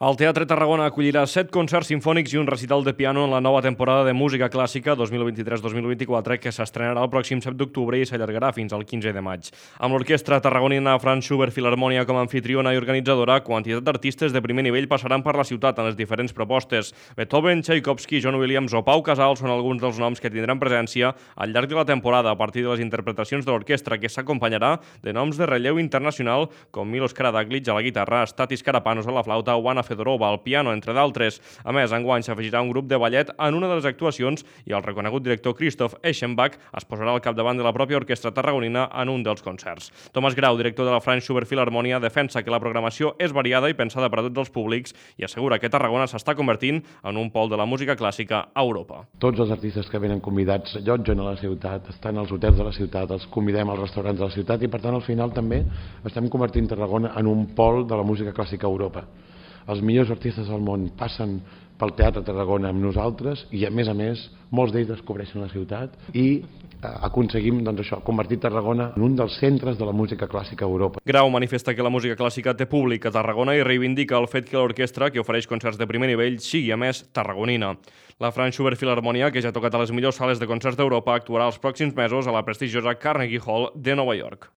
El Teatre Tarragona acollirà 7 concerts simfònics i un recital de piano en la nova temporada de música clàssica 2023-2024 que s'estrenarà el pròxim 7 d'octubre i s'allargarà fins al 15 de maig. Amb l'orquestra tarragonina Franz Schubert Filharmonia com a anfitriona i organitzadora, quantitat d'artistes de primer nivell passaran per la ciutat en les diferents propostes. Beethoven, Tchaikovsky, John Williams o Pau Casals són alguns dels noms que tindran presència al llarg de la temporada a partir de les interpretacions de l'orquestra, que s'acompanyarà de noms de relleu internacional com Milos Karadzic a la guitarra, Stathis Karapanos a la flauta o Anna Fedorova al piano, entre d'altres. A més, enguany s'afegirà un grup de ballet en una de les actuacions i el reconegut director Christoph Eschenbach es posarà al capdavant de la pròpia orquestra tarragonina en un dels concerts. Tomàs Grau, director de la Franz Schubert Filharmonia, defensa que la programació és variada i pensada per a tots els públics i assegura que Tarragona s'està convertint en un pol de la música clàssica a Europa. Tots els artistes que venen convidats allotgen a la ciutat, estan als hotels de la ciutat, els convidem als restaurants de la ciutat i per tant al final també estem convertint Tarragona en un pol de la música clàssica a Europa. Els millors artistes del món passen pel Teatre Tarragona amb nosaltres i a més, molts d'ells descobreixen la ciutat i aconseguim convertir Tarragona en un dels centres de la música clàssica a Europa. Grau manifesta que la música clàssica té públic a Tarragona i reivindica el fet que l'orquestra, que ofereix concerts de primer nivell, sigui a més tarragonina. La Franz Schubert Filharmonia, que ja ha tocat a les millors sales de concerts d'Europa, actuarà els pròxims mesos a la prestigiosa Carnegie Hall de Nova York.